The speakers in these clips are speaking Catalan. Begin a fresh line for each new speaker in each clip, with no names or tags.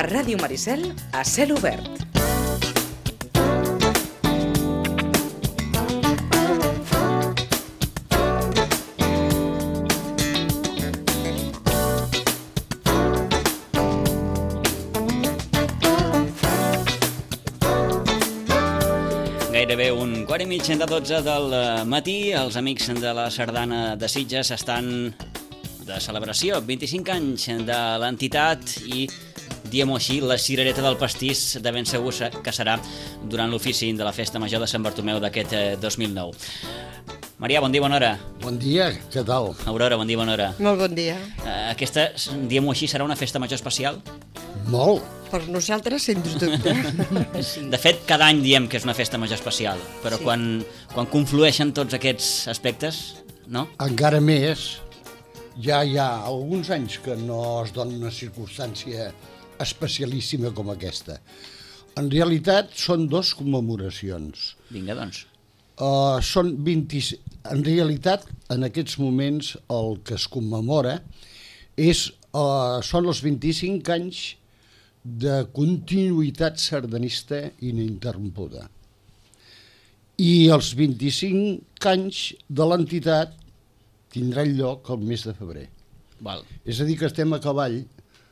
Ràdio Maricel, a cel obert.
Gairebé un quart i mig de 12 del matí, els amics de la Sardana de Sitges estan de celebració, 25 anys de l'entitat i, diguem-ho així, la cirereta del pastís de ben segur que serà durant l'ofici de la Festa Major de Sant Bartomeu d'aquest 2009. Maria, bon dia, bona hora.
Bon dia, què tal?
Aurora, bon dia, bona hora.
Molt bon dia.
Aquesta, diguem-ho així, serà una festa major especial?
Molt.
Per nosaltres, sens dubte.
De fet, cada any diem que és una festa major especial, però
Sí.
quan conflueixen tots aquests aspectes, no?
Encara més, ja hi ha alguns anys que no es dona una circumstància especialíssima com aquesta. En realitat, són dos commemoracions.
Vinga, doncs.
Són 20... En realitat, en aquests moments, el que es commemora són els 25 anys de continuïtat sardanista ininterrompuda. I els 25 anys de l'entitat tindran lloc el mes de febrer.
Val.
És a dir, que estem a cavall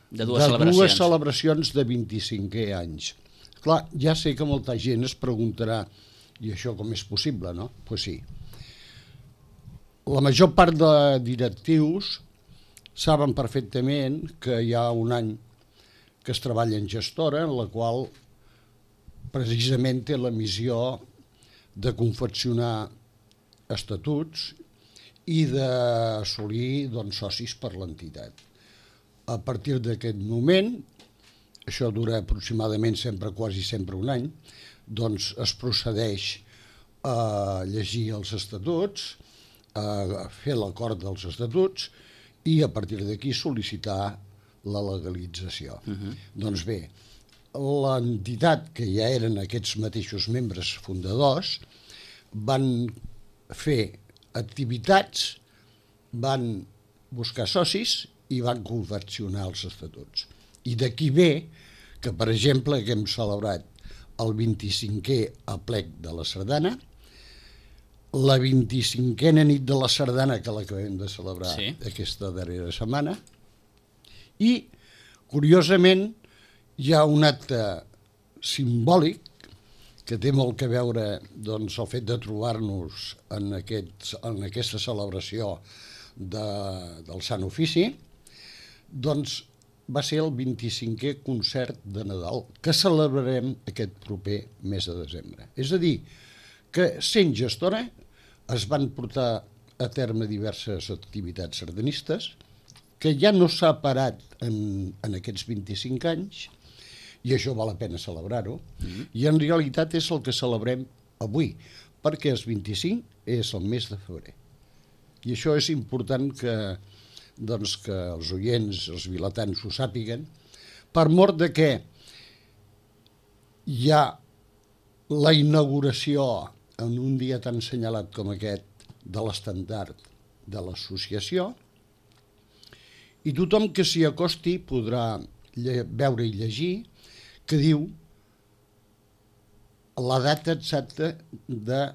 De dues
celebracions de 25è anys. Clar, ja sé que molta gent es preguntarà i això com és possible, no? Doncs pues sí. La major part de directius saben perfectament que hi ha un any que es treballa en gestora, en la qual precisament té la missió de confeccionar estatuts i d'assolir socis per l'entitat. A partir d'aquest moment, això dura aproximadament quasi sempre un any, doncs es procedeix a llegir els estatuts, a fer l'acord dels estatuts i a partir d'aquí sol·licitar la legalització. Doncs bé, l'entitat, que ja eren aquests mateixos membres fundadors, van fer activitats, van buscar socis i van confeccionar els estatuts. I d'aquí ve que, per exemple, que hem celebrat el 25è aplec de la Sardana, la 25a nit de la Sardana, que l'acabem de celebrar aquesta darrera setmana, i, curiosament, hi ha un acte simbòlic que té molt a veure el fet de trobar-nos en aquesta celebració del Sant Ofici, doncs va ser el 25è concert de Nadal que celebrarem aquest proper mes de desembre. És a dir, que sent gestora es van portar a terme diverses activitats sardanistes que ja no s'ha parat en aquests 25 anys, i això val la pena celebrar-ho, i en realitat és el que celebrem avui, perquè el 25 és el mes de febrer. I això és important que els oients, els vilatans, ho sàpiguen, per mort de que hi ha la inauguració en un dia tan assenyalat com aquest de l'estendard de l'associació, i tothom que s'hi acosti podrà veure i llegir que diu la data exacta de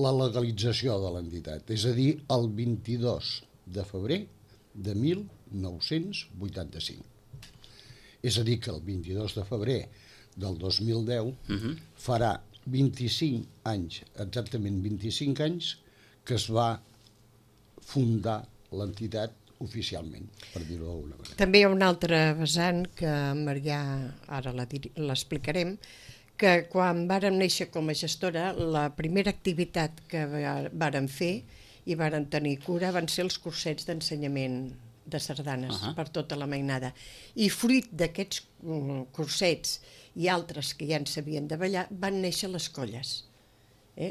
la legalització de l'entitat, és a dir, el 22 de febrer de 1985. És a dir, que el 22 de febrer del 2010 farà 25 anys, exactament 25 anys, que es va fundar l'entitat oficialment, per dir-ho d'alguna manera.
També hi ha un altre vessant que Marià, ara l'explicarem, que quan vàrem néixer com a gestora, la primera activitat que vàrem fer i vàrem tenir cura van ser els cursets d'ensenyament de sardanes per tota la mainada. I fruit d'aquests cursets i altres que ja en sabien de ballar, van néixer les colles.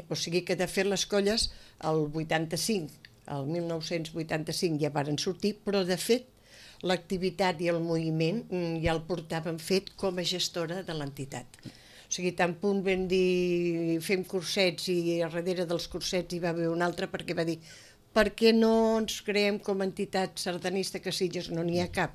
O sigui que, de fet, les colles, el 1985 ja varen sortir, però, de fet, l'activitat i el moviment ja el portàvem fet com a gestora de l'entitat. O sigui, tan punt vam dir fem cursets i darrere dels cursets hi va haver un altre perquè va dir per què no ens creem com a entitat sardanista, que Sitges no n'hi ha cap?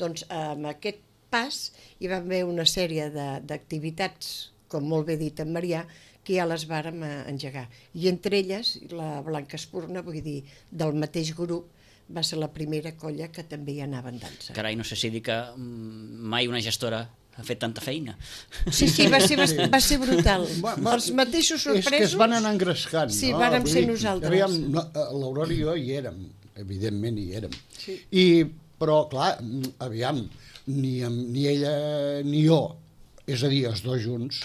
Doncs amb aquest pas hi va haver una sèrie d'activitats, com molt bé dit en Marià, que ja les vàrem engegar. I entre elles, la Blanca Espurna, vull dir, del mateix grup, va ser la primera colla que també hi anava en dansa.
Carai, no sé si dir que mai una gestora ha fet tanta feina.
Sí, va ser brutal. Els mateixos sorpresos...
És que es van anar engrescant.
Sí, vàrem ser nosaltres.
Aviam, l'Aurora i jo hi érem, evidentment hi érem.
Sí.
Però, clar, aviam, ni ella ni jo, és a dir, els dos junts,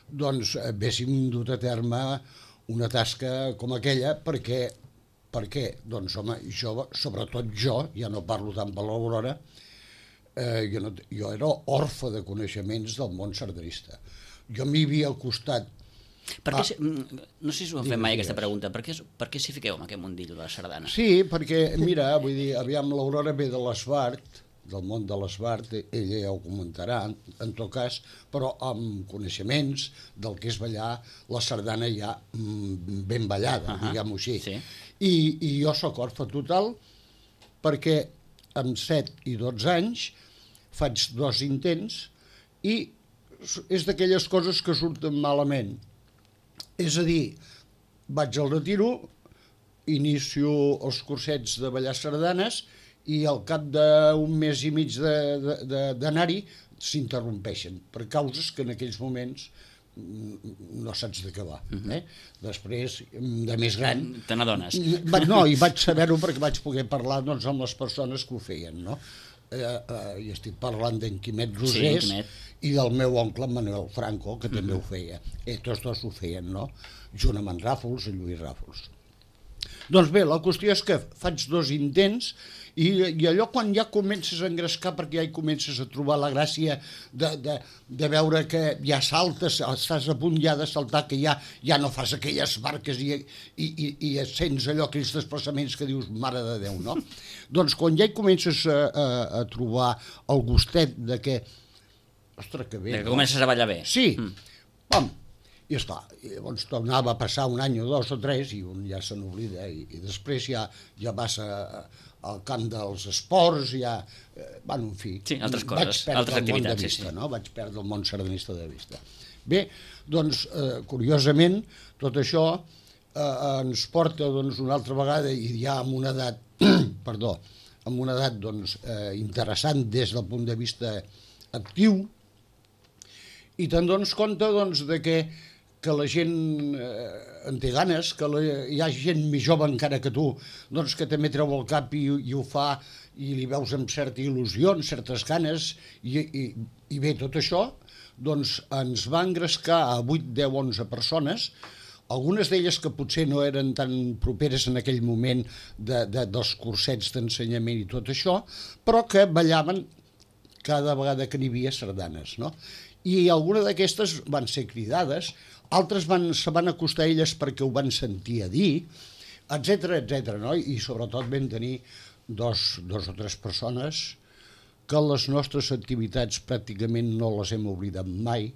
doncs haguéssim dut a terme una tasca com aquella, perquè, doncs, home, sobretot jo, ja no parlo tant per l'Aurora, jo era orfe de coneixements del món sardanista. Jo m'hi havia acostat.
No sé si ho han fet mai, aquesta pregunta. Per què s'hi fiqueu en aquest mundillo de la sardana?
Sí, perquè, mira, vull dir, aviam, l'Aurora ve de l'Esbart, del món de l'Esbart, ella ja ho comentarà, en tot cas, però amb coneixements del que és ballar la sardana ja ben ballada, diguem-ho així. I jo soc orfe total perquè amb 7 i 12 anys faig 2 intents i és d'aquelles coses que surten malament. És a dir, vaig al retiro, inicio els cursets de ballar sardanes i al cap d'un mes i mig d'anar-hi s'interrompeixen per causes que en aquells moments no saps de què va. Després, de més gran...
Te n'adones.
No, i vaig saber-ho perquè vaig poder parlar amb les persones que ho feien, no? I estic parlant d'en Quimet Rosés i del meu oncle Manuel Franco, que també ho feia. Tots dos ho feien, no? Junt amb en Ràfols i Lluís Ràfols. Doncs bé, la qüestió és que faig 2 intents i allò quan ja comences a engrescar, perquè ja hi comences a trobar la gràcia de veure que ja saltes, estàs a punt ja de saltar, que ja no fas aquelles barques i sents allò, aquells desplaçaments que dius, mare de Déu, no? Doncs quan ja hi comences a trobar el gustet de que, ostres, que bé...
De que comences a ballar bé.
Sí, i esclar, llavors tornava a passar un any o 2 o 3 i un ja se n'oblida i després ja vas al camp dels esports, en fi...
Sí, altres coses, altres activitats,
sí. Vaig perdre el món sardanista de vista. Bé, doncs, curiosament, tot això ens porta una altra vegada i ja amb una edat, interessant des del punt de vista actiu, i te'n dones compte de que la gent en té ganes, que hi ha gent més jove encara que tu, doncs que també treu el cap i ho fa i li veus amb certa il·lusió, amb certes ganes, i bé, tot això doncs ens va engrescar a 8, 10, 11 persones, algunes d'elles que potser no eren tan properes en aquell moment dels cursets d'ensenyament i tot això, però que ballaven cada vegada que n'hi havia sardanes, no? I alguna d'aquestes van ser cridades, altres se van acostar a elles perquè ho van sentir a dir, etc., no? I sobretot vam tenir 2 o 3 persones que les nostres activitats pràcticament no les hem oblidat mai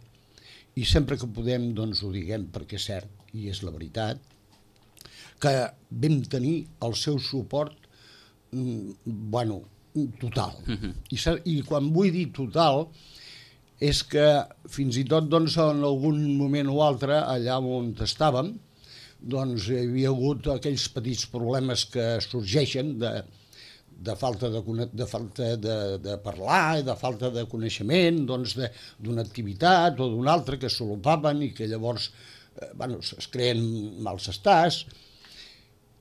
i sempre que podem doncs ho diguem perquè és cert i és la veritat, que vam tenir el seu suport total. I quan vull dir total és que fins i tot en algun moment o altre, allà on estàvem, doncs hi havia hagut aquells petits problemes que sorgeixen de falta de parlar, de falta de coneixement d'una activitat o d'una altra que solopaven i que llavors es creen mals estats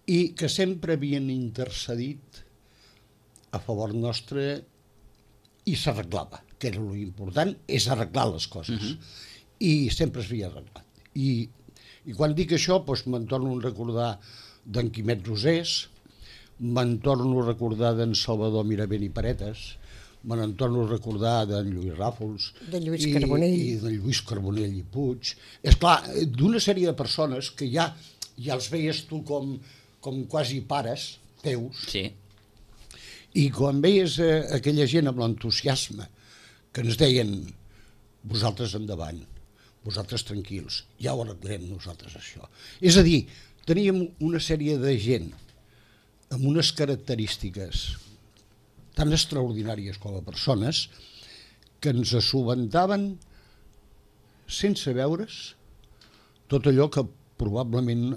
i que sempre havien intercedit a favor nostre i s'arreglava, que era l'important, és arreglar les coses. I sempre s'havia arreglat. I quan dic això, doncs me'n torno a recordar d'en Quimet Rosés, me'n torno a recordar d'en Salvador Miravent i Paretes, me'n torno a recordar d'en Lluís Ràfols,
de Lluís Carbonell
i d'en Lluís Carbonell i Puig. És clar, d'una sèrie de persones que ja els veies tu com quasi pares teus,
sí.
I quan veies aquella gent amb l'entusiasme que ens deien vosaltres endavant, vosaltres tranquils, ja ho arreglem nosaltres això. És a dir, teníem una sèrie de gent amb unes característiques tan extraordinàries com a persones que ens subventaven sense veure's tot allò que probablement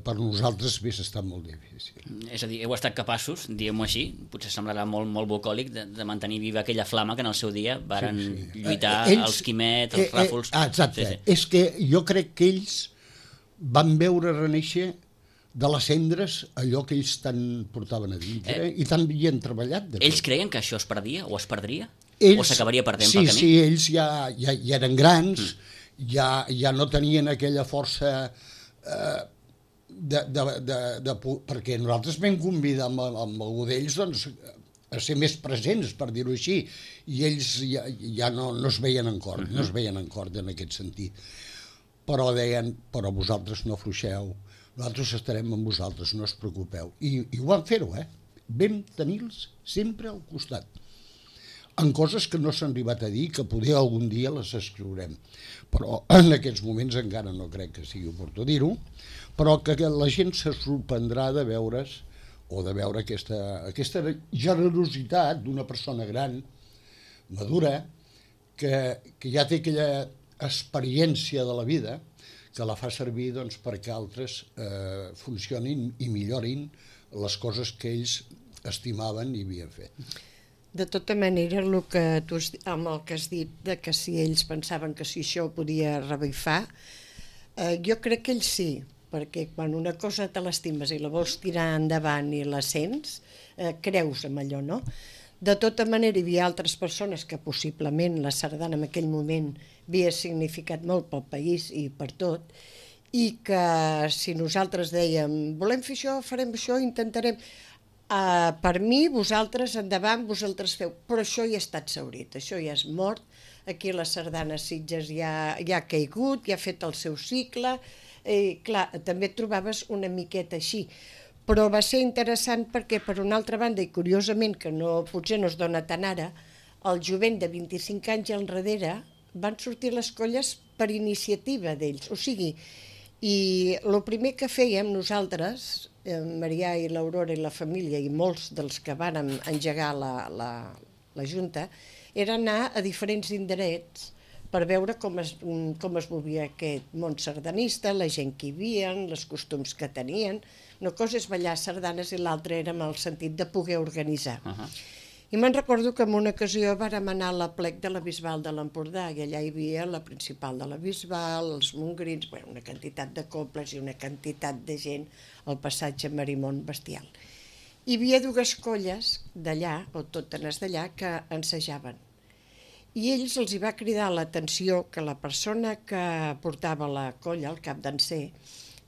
per nosaltres hagués estat molt difícil.
És a dir, heu estat capaços, diguem-ho així, potser semblarà molt bucòlic, de mantenir viva aquella flama que en el seu dia varen lluitar els Quimet, els Ràfols...
Exacte, és que jo crec que ells van veure renéixer de les cendres allò que ells tant portaven a dintre i tant havien treballat.
Ells creien que això es perdia o es perdria? O s'acabaria perdent pel camí?
Sí, ells ja eren grans, ja no tenien aquella força perquè nosaltres vam convidar amb algú d'ells doncs, a ser més presents, per dir-ho així, i ells ja no es veien en cor, no es veien en cor en aquest sentit. Però deien, però vosaltres no afluixeu, nosaltres estarem amb vosaltres, no us preocupeu. I ho van fer-ho, vam tenir-los sempre al costat. En coses que no s'han arribat a dir, que poder algun dia les escriurem. Però en aquests moments encara no crec que sigui oportú dir-ho, però que la gent se sorprendrà de veure's o de veure aquesta generositat d'una persona gran, madura, que ja té aquella experiència de la vida que la fa servir doncs, perquè altres funcionin i millorin les coses que ells estimaven i havien fet.
De tota manera, amb el que has dit, de que si ells pensaven que si això ho podia revifar, jo crec que ells sí, perquè quan una cosa te l'estimes i la vols tirar endavant i la sents, creus en allò, no? De tota manera, hi havia altres persones que possiblement la sardana en aquell moment havia significat molt pel país i per tot, i que si nosaltres dèiem volem fer això, farem això, intentarem... per mi, vosaltres endavant, vosaltres feu, però això ja ha estat exhaurit, això ja és mort, aquí la sardana Sitges ja ha caigut, ja ha fet el seu cicle, clar, també et trobaves una miqueta així, però va ser interessant perquè per una altra banda, i curiosament que potser no es dona tant ara, el jovent de 25 anys enrere van sortir les colles per iniciativa d'ells, o sigui, i el primer que fèiem nosaltres, Marià i l'Aurora i la família i molts dels que vàrem engegar la Junta, era anar a diferents indrets per veure com es movia aquest món sardanista, la gent que hi havia, els costums que tenien. Una cosa és ballar sardanes i l'altra era en el sentit de poder organitzar. I me'n recordo que en una ocasió vàrem anar a la plec de la Bisbal de l'Empordà i allà hi havia la principal de la Bisbal, els mongrins, una quantitat de cobles i una quantitat de gent al passatge Marimón bestial. Hi havia dues colles d'allà, o totes d'allà, que ensejaven. I ells els hi va cridar l'atenció que la persona que portava la colla, el cap danser,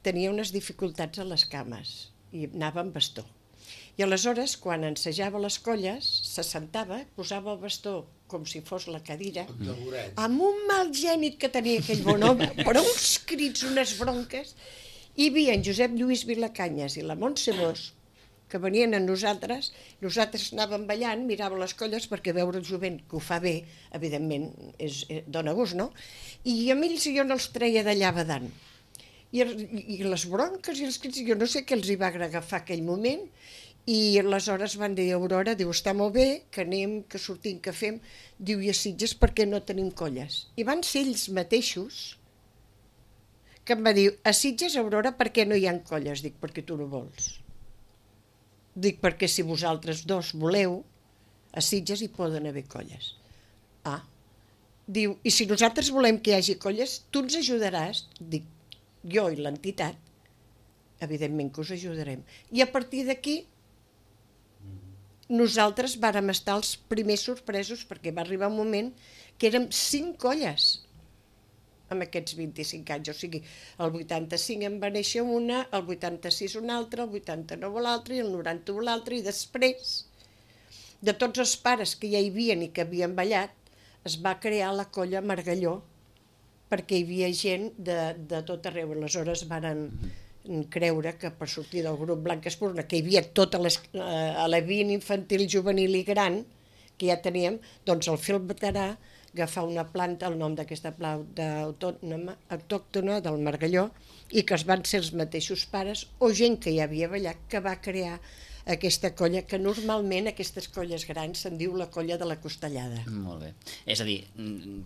tenia unes dificultats a les cames i anava amb bastó. I aleshores, quan ensejava les colles, se sentava, posava el bastó com si fos la cadira, amb un mal gènit que tenia aquell bon home, però uns crits, unes bronques, i hi havia en Josep Lluís Vilacanyes i la Montse Bosch, que venien a nosaltres anàvem ballant, miràvem les colles, perquè veure el jovent que ho fa bé, evidentment, dona gust, no? I amb ells jo no els treia d'allà badant. I les bronques i els crits, jo no sé què els hi va agafar aquell moment, i aleshores van dir a Aurora, diu, està molt bé, que anem, que sortim, que fem, diu, i a Sitges perquè no tenim colles. I van ser ells mateixos que em va dir, a Sitges, Aurora, per què no hi ha colles? Dic, perquè tu no vols. Dic, perquè si vosaltres dos voleu, a Sitges hi poden haver colles. Diu, i si nosaltres volem que hi hagi colles, tu ens ajudaràs? Dic, jo i l'entitat, evidentment que us ajudarem. I a partir d'aquí, nosaltres vàrem estar els primers sorpresos perquè va arribar un moment que érem 5 colles en aquests 25 anys. O sigui, el 85 en va néixer una, el 86 una altra, el 89 l'altra i el 91 l'altra, i després, de tots els pares que ja hi havien i que havien ballat, es va crear la colla Margalló perquè hi havia gent de tot arreu. Aleshores varen creure que per sortir del grup Blanc Espurna, que hi havia tota a la via infantil, juvenil i gran, que ja teníem, doncs el fil veterà agafar una planta, el nom d'aquesta planta autòctona del Margalló, i que es van ser els mateixos pares o gent que ja havia ballat que va crear aquesta colla, que normalment aquestes colles grans se'n diu la colla de la Costellada.
Molt bé. És a dir,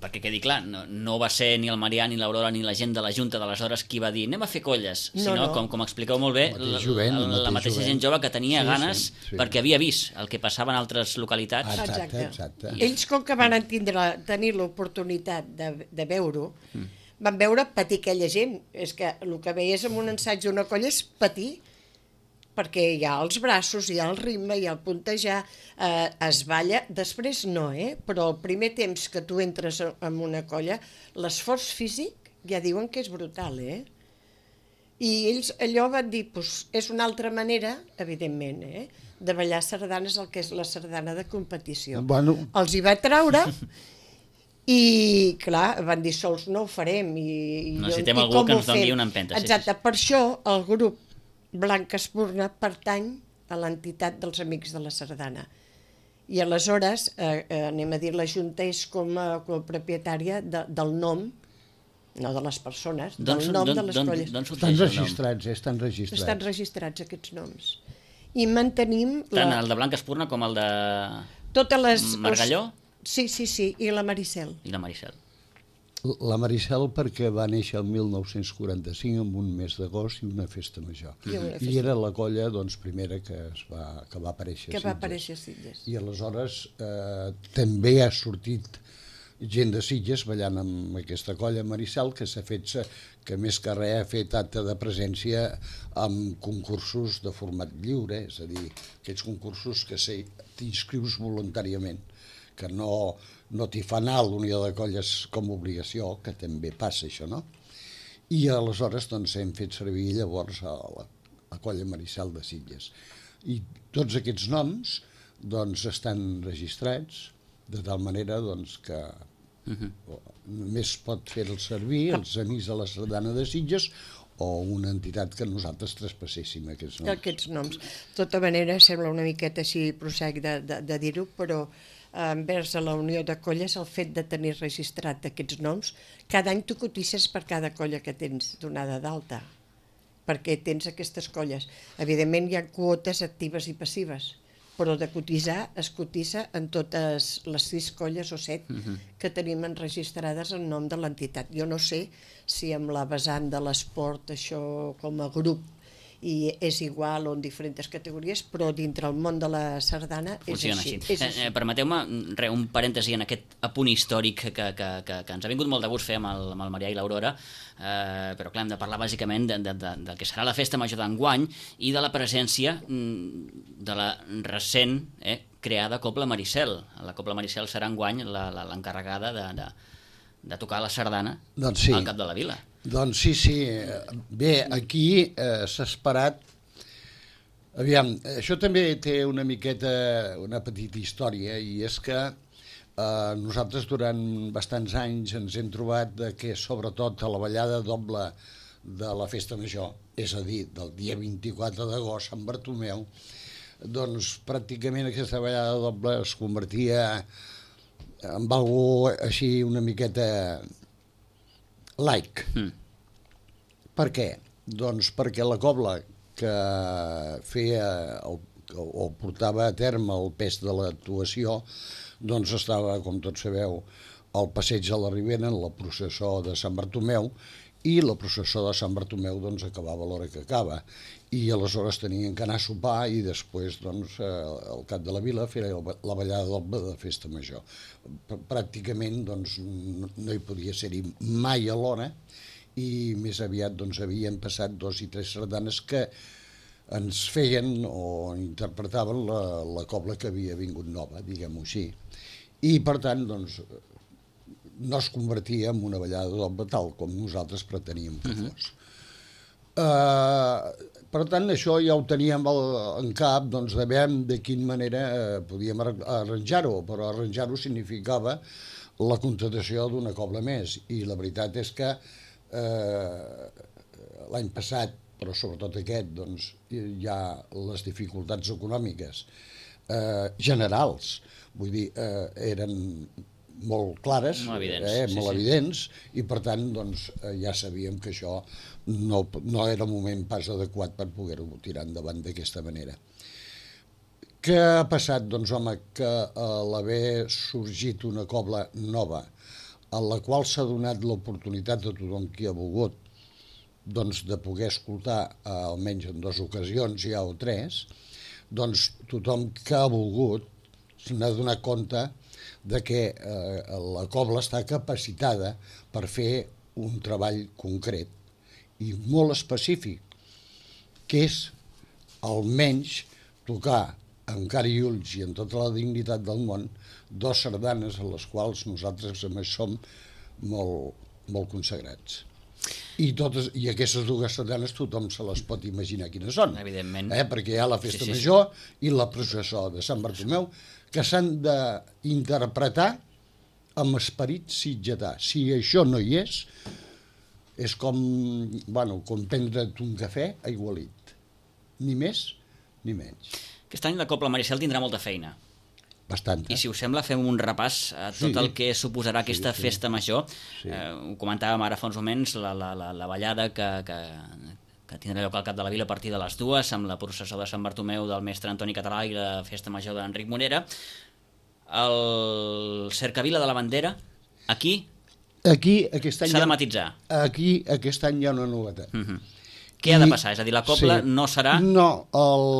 perquè quedi clar, no va ser ni el Marià, ni l'Aurora, ni la gent de la Junta d'aleshores qui va dir anem a fer colles, sinó, com expliqueu molt bé, la mateixa gent jove que tenia ganes perquè havia vist el que passava en altres localitats.
Exacte.
Ells, com que van tenir l'oportunitat de veure-ho, van veure patir aquella gent. És que el que veies en un ensaig d'una colla és patir, perquè hi ha els braços, hi ha el ritme, hi ha el puntejar, es balla, després no, però el primer temps que tu entres en una colla, l'esforç físic ja diuen que és brutal, I ells allò van dir, és una altra manera, evidentment, de ballar sardanes, el que és la sardana de competició.
Bueno.
Els hi va traure i, clar, van dir, sols no ho farem.
Necessitem algú que ens doni una empenta.
Exacte, per això el grup Blanca Espurna pertany a l'entitat dels Amics de la Sardana. I aleshores, anem a dir, la Junta és com a propietària del nom, no de les persones, del nom de les colles.
Estan registrats, estan registrats.
Estan registrats aquests noms. I mantenim...
Tant el de Blanca Espurna com el de Margalló?
Sí, i la Maricel.
I la Maricel.
La Maricel perquè va néixer el 1945 amb un mes d'agost i una festa major. I era la colla primera que va aparèixer a Sitges. I aleshores també ha sortit gent de Sitges ballant amb aquesta colla Maricel, que s'ha fet, que més que res ha fet acte de presència amb concursos de format lliure, és a dir, aquests concursos que t'inscrius voluntàriament, que no t'hi fa anar a l'Unió de Colles com a obligació, que també passa això, no? I aleshores hem fet servir llavors a la colla Maricel de Sitges. I tots aquests noms estan registrats de tal manera que només pot fer-el servir els Amics de la Sardana de Sitges o una entitat que nosaltres traspasséssim aquests noms.
Aquests noms. De tota manera, sembla una miqueta així prosaic de dir-ho, però envers a la Unió de Colles el fet de tenir registrat aquests noms, cada any tu cotitzes per cada colla que tens donada d'alta, perquè tens aquestes colles. Evidentment hi ha quotes actives i passives, però de cotitzar es cotitza en totes les 6 colles o 7 que tenim enregistrades en nom de l'entitat. Jo no sé si amb la vessant de l'esport això com a grup i és igual o en diferents categories, però dintre el món de la sardana és així.
Permeteu-me un parèntesi en aquest apunt històric que ens ha vingut molt de gust fer amb el Marià i l'Aurora, però clar, hem de parlar bàsicament del que serà la festa major d'enguany i de la presència de la recent creada Cobla Maricel. La Cobla Maricel serà enguany l'encarregada de tocar la sardana al cap de la vila.
Doncs sí. Bé, aquí s'ha esperat... Aviam, això també té una petita història, i és que nosaltres durant bastants anys ens hem trobat que sobretot a la ballada doble de la festa major, és a dir, del dia 24 d'agost, Sant Bartomeu, doncs pràcticament aquesta ballada doble es convertia en algo així una miqueta laic. Per què? Doncs perquè la cobla que feia o portava a terme el pes de l'actuació doncs estava, com tots sabeu, al passeig de la Ribera en la processó de Sant Bartomeu, i la processó de Sant Bartomeu doncs acabava a l'hora que acaba, i aleshores tenien que anar a sopar i després doncs al cap de la vila fer la ballada doble de festa major. Pràcticament doncs no hi podia ser-hi mai a l'hora, i més aviat doncs havien passat 2 i 3 sardanes que ens feien o interpretaven la cobla que havia vingut nova, diguem-ho així. I per tant doncs no es convertia en una ballada doble tal com nosaltres preteníem que fos. Per tant, això ja ho teníem en cap, doncs de veure de quina manera podíem arranjar-ho, però arranjar-ho significava la contractació d'una cobla més, i la veritat és que l'any passat, però sobretot aquest, doncs hi ha les dificultats econòmiques generals, vull dir, eren molt clares, molt evidents, i per tant doncs, ja sabíem que això no era el moment pas adequat per poder-ho tirar endavant d'aquesta manera. Què ha passat? Doncs, home, que a l'haver sorgit una cobla nova, en la qual s'ha donat l'oportunitat a tothom qui ha volgut doncs, de poder escoltar almenys en 2 ocasions ja o 3, doncs tothom que ha volgut se n'ha donat compte de que la cobla està capacitada per fer un treball concret i molt específic, que és almenys tocar amb cara i ulls i amb tota la dignitat del món 2 sardanes a les quals nosaltres a més som molt consagrats. I aquestes 2 sardanes tothom se les pot imaginar quines són.
Evidentment.
Perquè hi ha la festa major i la processó de Sant Bartomeu, que s'han d'interpretar amb esperit sitgetà. Si això no hi és com prendre't un cafè aigualit. Ni més ni menys.
Aquest any la Cobla Maricel tindrà molta feina.
Bastant.
I si us sembla, fem un repàs a tot el que suposarà aquesta festa major. Ho comentàvem ara fa uns moments, la ballada que tindrà lloc al cap de la vila a partir de les 2, amb la processó de Sant Bartomeu del mestre Antoni Català i la festa major d'Enric Morera. El cercavila de la bandera, aquí
aquest any
s'ha de matitzar.
Aquí aquest any hi ha una novetat.
Què ha de passar? És a dir, la cobla no serà...
No,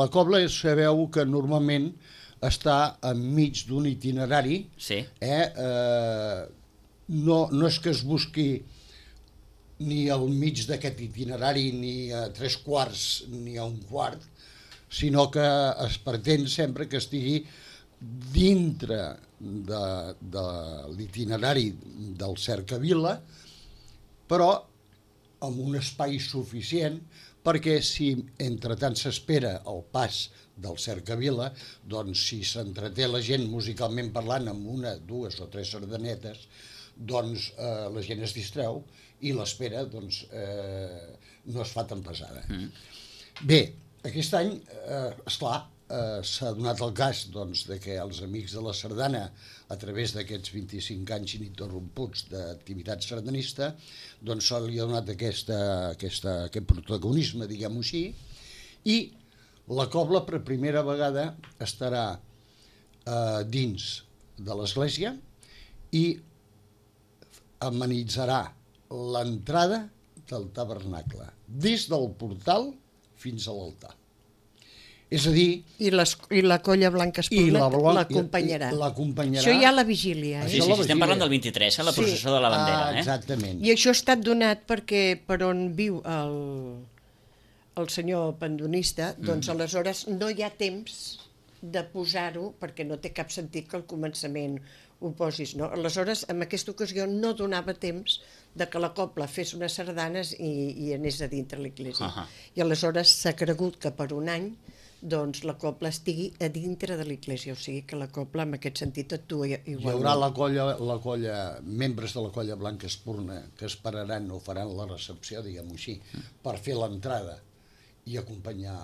la cobla sabeu que normalment està enmig d'un itinerari.
Sí.
No és que es busqui ni al mig d'aquest itinerari, ni a 3/4, ni a 1/4, sinó que es pretén sempre que estigui dintre de l'itinerari del cercavila, però amb un espai suficient perquè si entretant s'espera el pas del cercavila, doncs si s'entreté la gent musicalment parlant amb 1, 2 o 3 sardanetes, doncs la gent es distreu i l'espera doncs, no es fa tan pesada. Bé, aquest any, esclar, s'ha donat el cas doncs, de que els amics de la sardana, a través d'aquests 25 anys ininterromputs d'activitat sardanista, doncs se li ha donat aquest protagonisme, diguem-ho així, i la cobla per primera vegada estarà dins de l'església i amenitzarà l'entrada del tabernacle, des del portal fins a l'altar. És a dir...
I la colla Blanca Espurna l'acompanyarà. Això ja a la vigília.
Sí, estem parlant del 23, la processó de la bandera.
Exactament.
I això ha estat donat perquè per on viu el senyor pendonista, doncs aleshores no hi ha temps de posar-ho, perquè no té cap sentit que al començament ho posis. No? Aleshores, en aquesta ocasió no donava temps de que la cobla fes unes sardanes i anés a dintre l'església. I aleshores s'ha cregut que per un any doncs la cobla estigui a dintre de l'església, o sigui que la cobla en aquest sentit actua igual.
Hi haurà la colla, membres de la colla Blanca Espurna que esperaran o faran la recepció, diguem-ho així, per fer l'entrada i acompanyar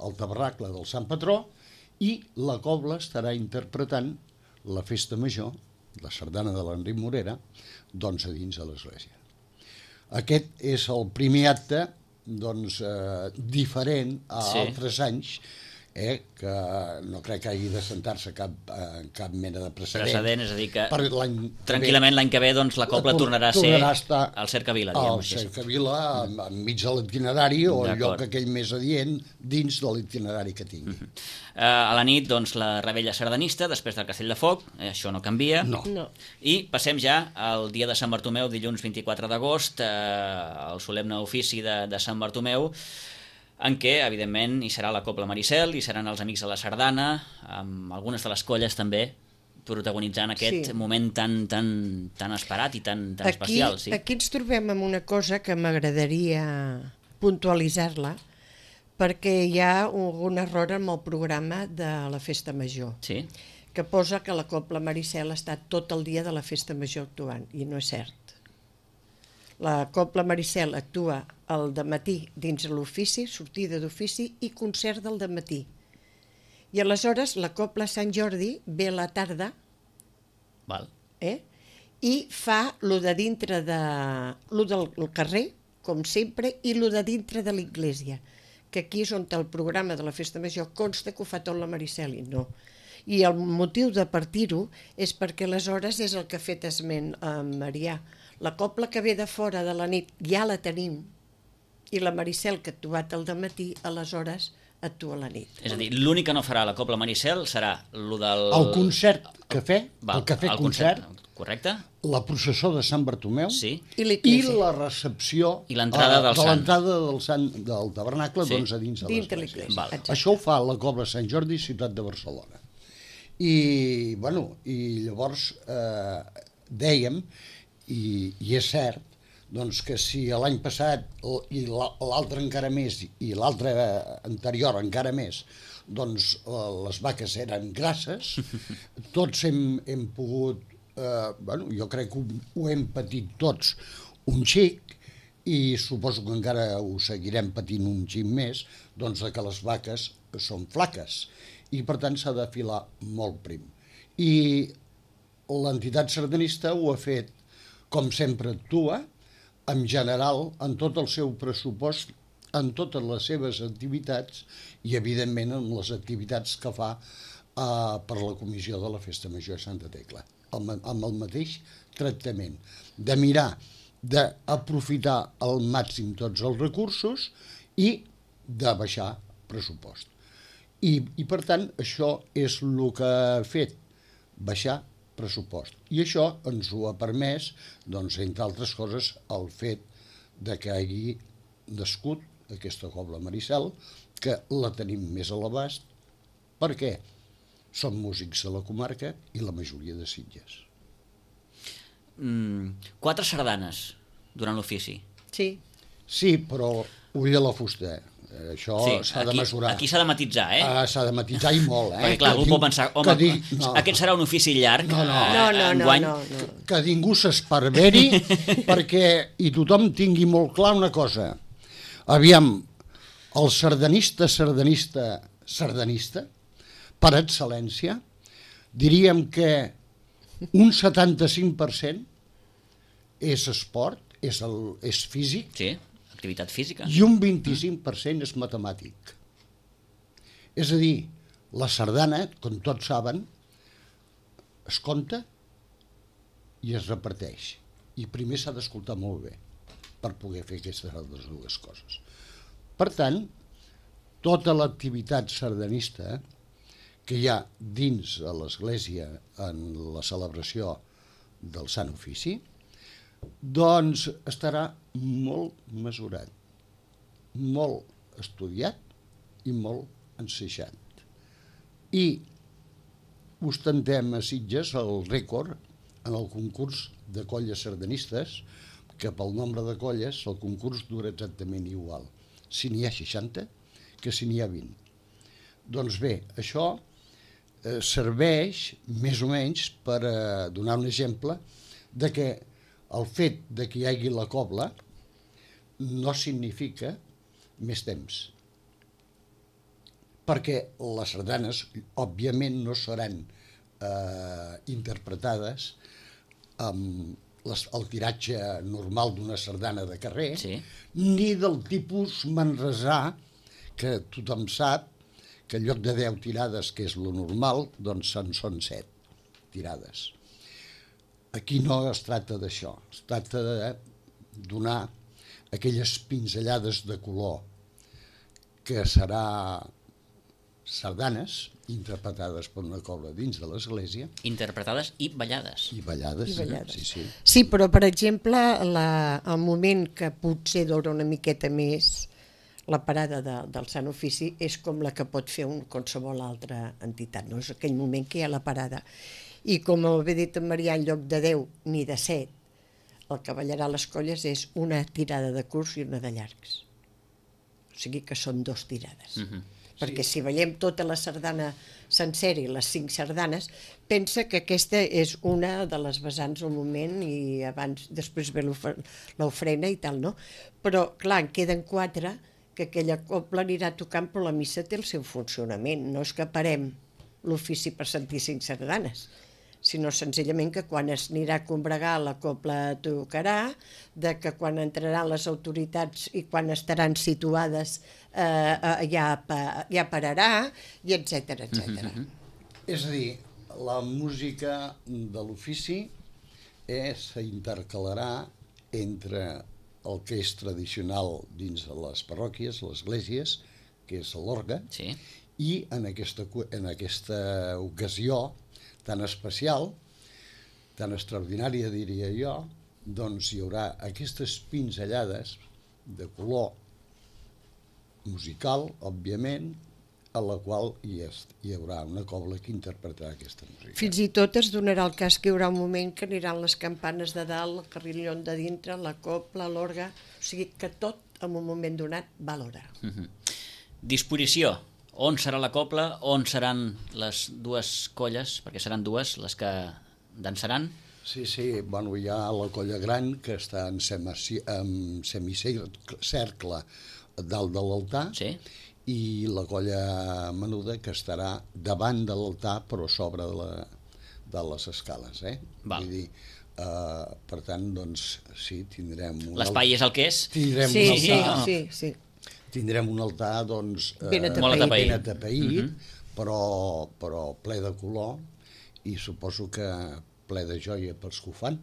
el tabernacle del Sant Patró, i la cobla estarà interpretant la festa major, la sardana de l'Enric Morera, doncs a dins de l'església. Aquest és el primer acte doncs, diferent a altres anys, que no crec que hagi de sentar-se cap mena de precedent.
És a dir que tranquil·lament l'any que ve doncs, la cobla tornarà a ser al cercavila.
Al cercavila, enmig de l'itinerari o el lloc aquell més adient dins de l'itinerari que tingui.
A la nit, doncs, la rebella sardanista, després del Castell de Foc, això no canvia.
No.
I passem ja al dia de Sant Bartomeu, dilluns 24 d'agost, al solemne ofici de Sant Bartomeu, en què, evidentment, hi serà la Cobla Maricel, hi seran els amics de la sardana, amb algunes de les colles també protagonitzant aquest moment tan esperat i tan especial.
Aquí ens trobem amb una cosa que m'agradaria puntualitzar-la, perquè hi ha un error en el programa de la Festa Major, que posa que la Cobla Maricel està tot el dia de la Festa Major actuant, i no és cert. La Cobla Maricel actua al dematí dins l'ofici, sortida d'ofici i concert del dematí. I aleshores la Cobla Sant Jordi ve a la tarda i fa lo de dintre lo del carrer, com sempre, i lo de dintre de l'església, que aquí és on el programa de la Festa Major consta que ho fa tot la Mariceli, no. I el motiu de partir-ho és perquè aleshores és el que ha fet esment a Marià. La cobla que ve de fora de la nit ja la tenim, i la Maricel, que ha actuat al dematí, aleshores actua a la nit.
És a dir, l'únic que no farà la Cobla Maricel serà el del...
El concert que fer,
Val,
el cafè
el
concert,
correcte?
la processó de Sant Bartomeu
Sí.
i la recepció
I l'entrada del
de
sant.
l'entrada del tabernacle,
Sí.
doncs a dins de
Dins de
l'església.
l'església.
Val.
Exacte.
Això ho fa la Cobla Sant Jordi, ciutat de Barcelona. I, bueno, i llavors dèiem, i és cert, doncs que si l'any passat i l'altre encara més i l'altre anterior encara més, doncs les vaques eren grasses, tots hem pogut, bueno, jo crec que ho hem patit tots un xic, i suposo que encara ho seguirem patint un xic més, doncs que les vaques són flaques i per tant s'ha de filar molt prim. I l'entitat sardanista ho ha fet com sempre actua, en general, en tot el seu pressupost, en totes les seves activitats i, evidentment, en les activitats que fa per la Comissió de la Festa Major de Santa Tecla, amb el mateix tractament, de mirar d'aprofitar al màxim tots els recursos i de baixar pressupost. I per tant, això és el que ha fet, baixar pressupost. I això ens ho ha permès, doncs, entre altres coses, el fet de que hagi nascut aquesta Cobla Maricel, que la tenim més a l'abast, perquè som músics de la comarca i la majoria de Sitges.
4 sardanes durant l'ofici.
Sí.
Sí, però ull a la fusta. Això s'ha de mesurar.
Aquí s'ha de matisar,
S'ha de matisar i molt,
Perquè, clar, algú pot pensar, home, aquest serà un ofici llarg, enguany.
Que ningú s'esparveri perquè i tothom tingui molt clar una cosa. Aviam, el sardanista, per excel·lència, diríem que un 75% és esport, és físic,
Sí, activitat física.
i un 25% és matemàtic. És a dir, la sardana, com tots saben, es compta i es reparteix. I primer s'ha d'escoltar molt bé per poder fer aquestes altres dues coses. Per tant, tota l'activitat sardanista que hi ha dins de l'Església en la celebració del Sant Ofici, doncs estarà molt mesurat, molt estudiat i molt enseixat. I ostentem a Sitges el rècord en el concurs de colles sardanistes, que pel nombre de colles el concurs dura exactament igual, si n'hi ha 60 que si n'hi ha 20. Doncs bé, això serveix més o menys per donar un exemple de que el fet de que hi hagi la cobla no significa més temps. Perquè les sardanes, òbviament, no seran interpretades amb el tiratge normal d'una sardana de carrer,
Sí.
ni del tipus manresà, que tothom sap que en lloc de 10 tirades, que és lo normal, doncs en són 7 tirades. Aquí no es tracta d'això, es tracta de donar aquelles pinzellades de color que serà sardanes interpretades per una cobla dins de l'església
Interpretades i ballades.
i ballades.
I ballades.
Sí.
Sí, però, per exemple, el moment que potser dura una miqueta més la parada del Sant Ofici és com la que pot fer qualsevol altra entitat, no? És aquell moment que hi ha la parada. I com ho havia dit en Marià, en lloc de 10 ni de 7, el que ballarà les colles és una tirada de curts i una de llargs. O sigui que són 2 tirades. Perquè si ballem tota la sardana sencera i les 5 sardanes, pensa que aquesta és una de les vessants al moment i després ve l'ofrena i tal, no? Però, clar, en queden 4 que aquella cobla anirà tocant, però la missa té el seu funcionament. No és que parem l'ofici per sentir 5 sardanes. sinó senzillament que quan es anirà a combregar la cobla tocarà, de que quan entraran les autoritats i quan estaran situades ja pararà, i etcètera, etcètera.
És a dir, la música de l'ofici s'intercalarà entre el que és tradicional dins de les parròquies, les esglésies, que és l'orgue,
Sí.
i en aquesta ocasió tan especial, tan extraordinària, diria jo, doncs hi haurà aquestes pinzellades de color musical, òbviament, a la qual hi haurà una cobla que interpretarà aquesta música.
Fins i tot es donarà el cas que hi haurà un moment que aniran les campanes de dalt, el carrillon de dintre, la cobla, l'orgue, o sigui que tot en un moment donat va a l'hora.
Disposició. On serà la cobla? On seran les dues colles? Perquè seran dues les que dansaran.
Sí, bueno, hi ha la colla gran que està en semicercle dalt de l'altar,
Sí.
i la colla menuda que estarà davant de l'altar però sobre de les escales.
Val.
Vull dir, per tant, doncs, sí, tindrem...
L'espai és el que és?
Tindrem un altar,
Sí.
Tindrem un altar, doncs,
Ben atapeït.
ben atapeït, però ple de color, i suposo que ple de joia pels que ho fan.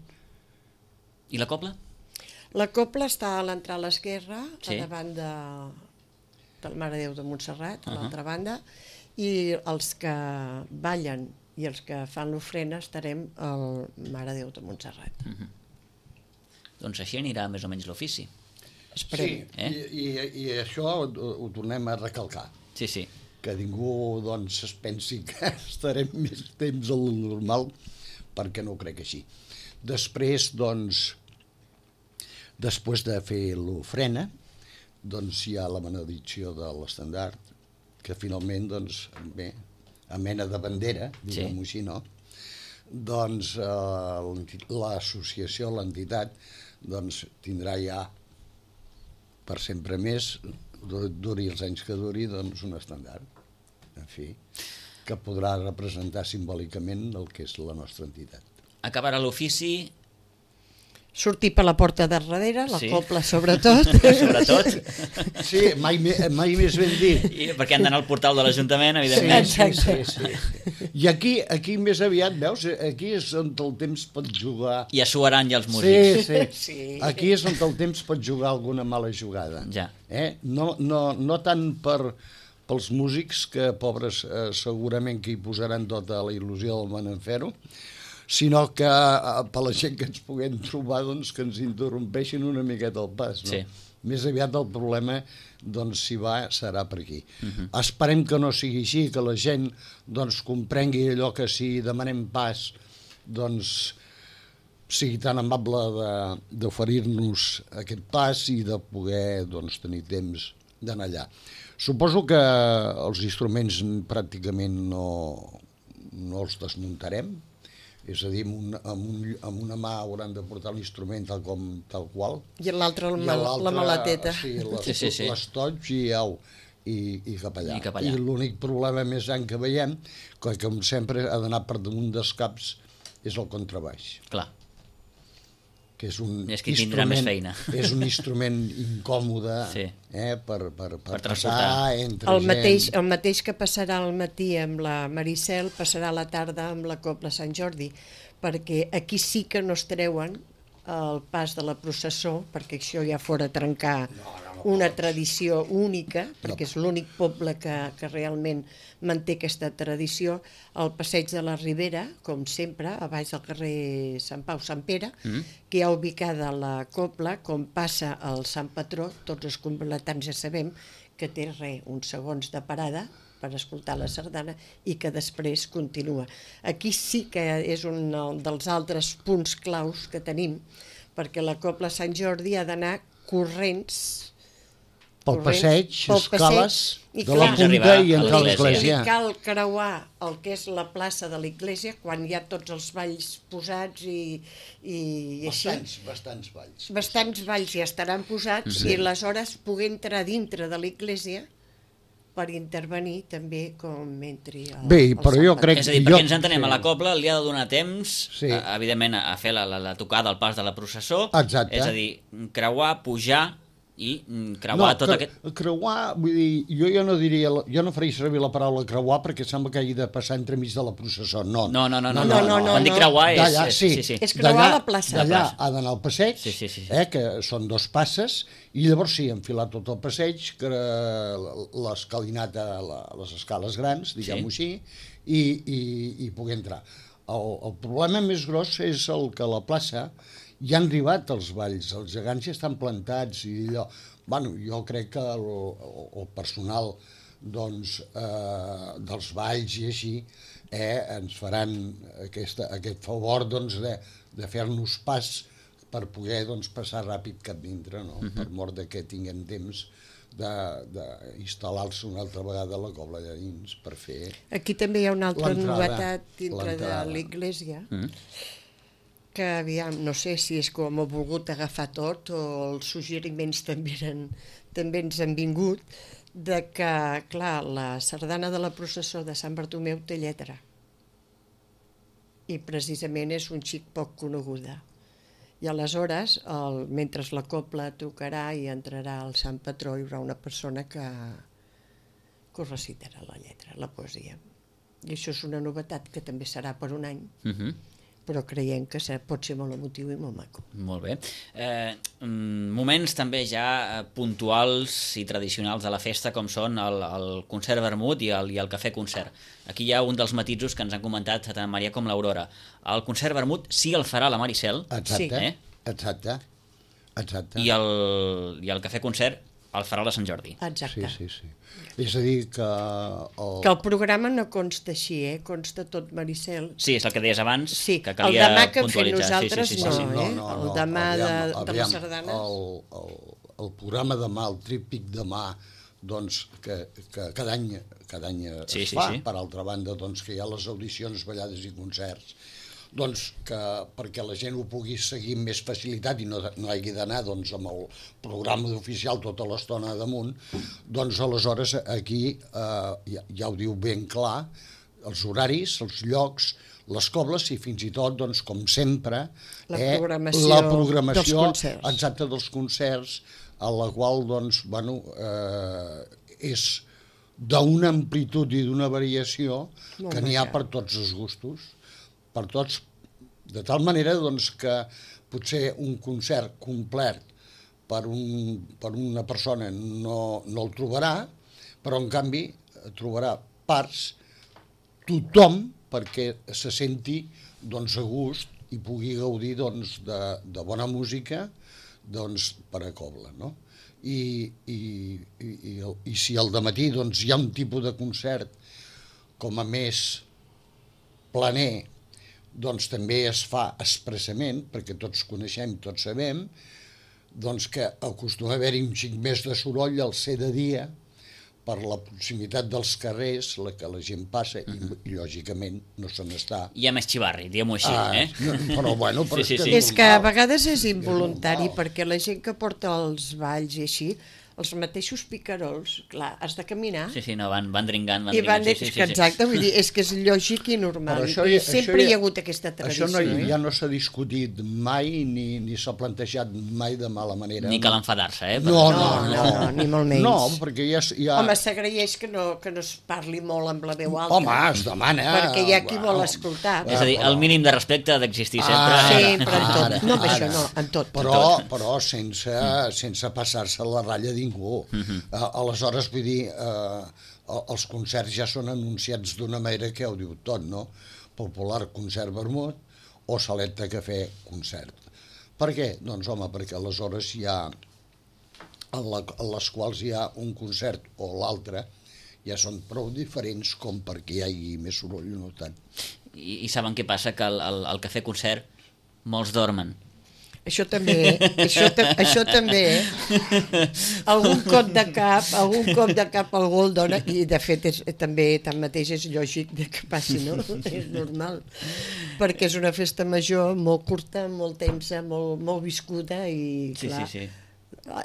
I la cobla?
La cobla està a l'entrada a l'esquerra,
Sí.
a davant del Mare de Déu de Montserrat, a l'altra banda, i els que ballen i els que fan l'ofrena estarem al Mare de Déu de Montserrat.
Doncs així anirà més o menys l'ofici.
Esperem.
I això ho tornem a recalcar,
Sí.
que ningú doncs, es pensi que estarem més temps al normal, perquè no ho crec així. Després, doncs, després de fer l'ofrena, doncs hi ha la benedicció de l'estendard, que finalment, doncs, bé, a mena de bandera, diguem-ho així, no? Doncs l'associació, l'entitat, doncs tindrà ja per sempre més, duri els anys que duri, doncs un estendard, en fi, que podrà representar simbòlicament el que és la nostra entitat.
Acabarà l'ofici...
Sortir per la porta de darrere, la
Sí.
cobla sobretot.
Sobretot.
Sí, mai més ben dit.
Perquè han d'anar al portal de l'Ajuntament, evidentment.
Sí. I aquí més aviat, veus, aquí és on el temps pot jugar...
I a suaran ja els músics.
Sí. Aquí és on el temps pot jugar alguna mala jugada.
Ja.
No tant pels músics, que pobres segurament que hi posaran tota la il·lusió del món en fer-ho, sinó que per la gent que ens puguem trobar, doncs, que ens interrompeixin una miqueta el pas. No?
Sí.
Més aviat el problema, doncs, si va, serà per aquí. Esperem que no sigui així, que la gent doncs, comprengui allò que si demanem pas, doncs, sigui tan amable d'oferir-nos aquest pas i de poder doncs, tenir temps d'anar allà. Suposo que els instruments pràcticament no els desmuntarem, és a dir, amb una mà hauran de portar l'instrument tal qual.
I l'altra la maleteta.
Sí,
Sí.
l'estoig i au, i cap allà.
I cap allà.
I l'únic problema més gran que veiem, que com sempre ha d'anar per damunt dels caps, és el contrabaix,
Clar.
que és un
És qui tindrà més feina.
És un instrument incòmode
Sí.
per
transportar.
passar entre gent.
El mateix que passarà al matí amb la Maricel, passarà a la tarda amb la Cobla Sant Jordi, perquè aquí sí que no es treuen el pas de la processó, perquè això ja fora trencar una tradició única, perquè és l'únic poble que realment manté aquesta tradició, el passeig de la Ribera, com sempre, a baix del carrer Sant Pau, Sant Pere, que hi ha ubicada la Cobla, com passa el Sant Patró, tots els completants ja sabem que té uns segons de parada per escoltar la sardana i que després continua. Aquí sí que és un dels altres punts claus que tenim, perquè la Cobla Sant Jordi ha d'anar corrents
Pel passeig, escales,
i
de la
clar,
punta i entrar a
l'església.
l'església.
i cal creuar el que és la plaça de l'església quan hi ha tots els balls posats i així.
Bastants balls.
Bastants balls ja estaran posats i aleshores poder entrar dintre de l'església per intervenir també com entri el
Bé, però
Sant
jo
Patró.
crec-
És a dir, perquè ens entenem, a la cobla li ha de donar temps,
Sí.
evidentment, a fer la tocada al pas de la processó,
Exacte.
és a dir, creuar, pujar i creuar tot aquest...
Creuar, vull dir, jo no faria servir la paraula creuar perquè sembla que hagi de passar entremig de la processó. No.
No.
no.
Quan dic creuar és...
D'allà, sí.
És creuar la plaça.
D'allà ha d'anar al passeig,
Sí.
que són 2 passes, i llavors sí, enfilar tot el passeig, l'escalinata, les escales grans, diguem-ho així, i poder entrar. El problema més gros és el que a la plaça ja han arribat els balls, els gegants ja estan plantats i allò. Bueno, jo crec que el personal doncs, dels balls i així ens faran aquest favor doncs, de fer-nos pas per poder doncs, passar ràpid cap dintre, no? Per mort de que tinguem temps d'instal·lar-se una altra vegada a la cobla de dins per fer...
Aquí també hi ha una altra
L'entrada,
novetat dintre de l'església, que aviam, no sé si és com ho he volgut agafar tot o els suggeriments també ens han vingut, de que, clar, la sardana de la processó de Sant Bartomeu té lletra i precisament és un xic poc coneguda. I aleshores, mentre la cobla tocarà i entrarà el Sant Patró, hi haurà una persona que ho recitarà la lletra, la poesia. I això és una novetat que també serà per un any, però creiem que pot ser molt emotiu i molt maco.
Molt bé. Moments també ja puntuals i tradicionals de la festa, com són el concert vermut i el cafè concert. Aquí hi ha un dels matisos que ens han comentat tant Maria com l'Aurora. El concert vermut sí el farà la Maricel.
Exacte.
I el cafè concert el farà la Sant Jordi.
Exacte.
Sí. És a dir, que...
Que el programa no consta així, consta tot Maricel.
Sí, és el que deies abans,
sí,
que calia
el demà que hem fet
puntualitzar.
nosaltres
No.
El demà de les sardanes.
El programa demà, el tríptic demà, doncs, que cada any es fa.
Sí.
Per altra banda, doncs, que hi ha les audicions, ballades i concerts, doncs, perquè la gent ho pugui seguir amb més facilitat i no hagi d'anar doncs, amb el programa oficial tota l'estona damunt, doncs aleshores aquí ja ho diu ben clar, els horaris, els llocs, les cobles i fins i tot, doncs, com sempre,
la programació dels concerts.
Exacte, dels concerts, a la qual doncs, és d'una amplitud i d'una variació que n'hi ha per tots els gustos, per tots, de tal manera doncs, que potser un concert complet per una persona no el trobarà, però en canvi trobarà parts tothom perquè se senti doncs, a gust i pugui gaudir doncs, de bona música doncs, per a cobla, no? I si al dematí doncs, hi ha un tipus de concert com a més planer, doncs també es fa expressament, perquè tots coneixem, tots sabem, doncs que acostuma a haver-hi un xic més de soroll al ser de dia, per la proximitat dels carrers, que la gent passa, i lògicament no se n'està.
Hi ha més xivarri, diguem-ho així.
Però bueno...
Sí.
És que a vegades és involuntari, perquè la gent que porta els balls i així, els mateixos picarols, clar, has de caminar.
Sí, no, van dringant,
Sí. Exacte, vull dir, és que és lògic i normal. Sempre hi ha hagut aquesta tradició.
Això ja no s'ha discutit mai, ni s'ha plantejat mai de mala manera.
Ni cal enfadar-se,
No,
ni molt menys.
No, perquè ja...
Home, s'agraeix que no es parli molt amb la veu alta.
Home, es demana...
Perquè hi ha qui vol escoltar.
És a dir, el mínim de respecte ha d'existir sempre.
Sempre, en tot. No, amb això no, en tot.
Però sense passar-se la ratlla ningú. Aleshores, vull dir, els concerts ja són anunciats d'una manera que ja ho diu tot, no? Popular concert vermut o salet de cafè concert. Per què? Doncs, home, perquè aleshores hi ha, en les quals hi ha un concert o l'altre, ja són prou diferents com perquè hi hagi més soroll o no tant.
I saben què passa? Que al cafè concert molts dormen.
Això també. Algun cop de cap algú el dona, i de fet també tanmateix és lògic que passi, no? És normal, perquè és una festa major molt curta, molt tensa, molt viscuda i clar,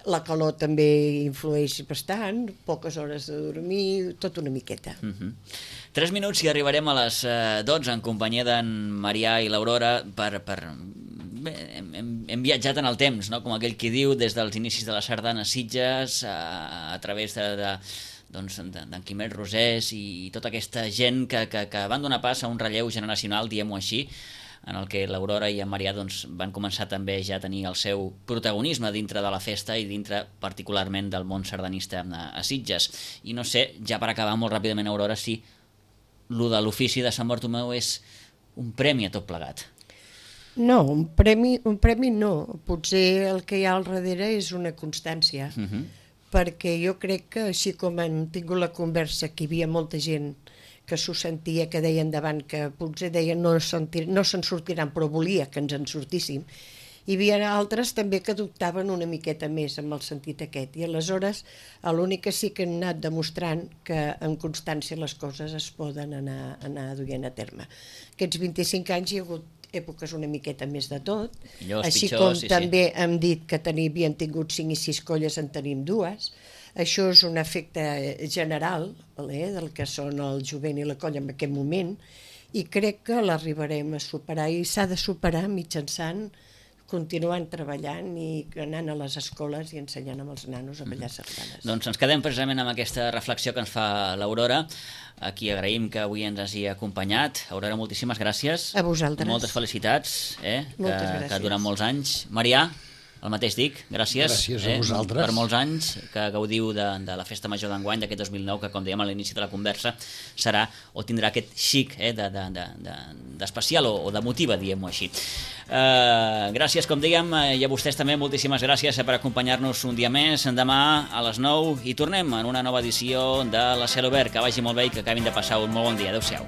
La calor també influeix bastant, poques hores de dormir, tot una miqueta.
3 minuts i arribarem a les 12 en companyia d'en Marià i l'Aurora Bé, hem viatjat en el temps, no? Com aquell qui diu, des dels inicis de la sardana a Sitges, a través d'en Quimet Rosés i tota aquesta gent que van donar pas a un relleu generacional, diguem-ho així, en el que l'Aurora i en Marià van començar també ja a tenir el seu protagonisme dintre de la festa i dintre particularment del món sardanista a Sitges. I no sé, ja per acabar molt ràpidament, Aurora, si lo de l'ofici de Sant Bartomeu és un premi a tot plegat.
No, un premi no. Potser el que hi ha al darrere és una constància. Perquè jo crec que així com hem tingut la conversa que hi havia molta gent que s'ho sentia, que deien davant, que potser deien no se'n sortiran, però volia que ens en sortíssim. Hi havia altres també que dubtaven una miqueta més amb el sentit aquest. I aleshores l'únic que sí que hem anat demostrant que amb constància les coses es poden anar duent a terme. Aquests 25 anys hi ha hagut èpoques una miqueta més de tot, així com també hem dit que havien tingut 5 i 6 colles, en tenim 2. Això és un efecte general del que són el jovent i la colla en aquest moment, i crec que l'arribarem a superar, i s'ha de superar mitjançant continuant treballant i anant a les escoles i ensenyant amb els nanos a ballar sardanes.
Doncs ens quedem precisament amb aquesta reflexió que ens fa l'Aurora, a qui agraïm que avui ens hagi acompanyat. Aurora, moltíssimes gràcies.
A vosaltres.
Moltes felicitats,
Moltes gràcies.
Que duren molts anys. Marià, el mateix dic, gràcies.
Gràcies a vosaltres.
Per molts anys que gaudiu de la festa major d'enguany d'aquest 2009, que com dèiem a l'inici de la conversa serà o tindrà aquest xic d'especial o d'emotiva, diguem-ho així. Gràcies, com dèiem, i a vostès també moltíssimes gràcies per acompanyar-nos un dia més. Demà a les 9 i tornem en una nova edició de la Cel Obert. Que vagi molt bé i que acabin de passar un molt bon dia. Adéu-siau.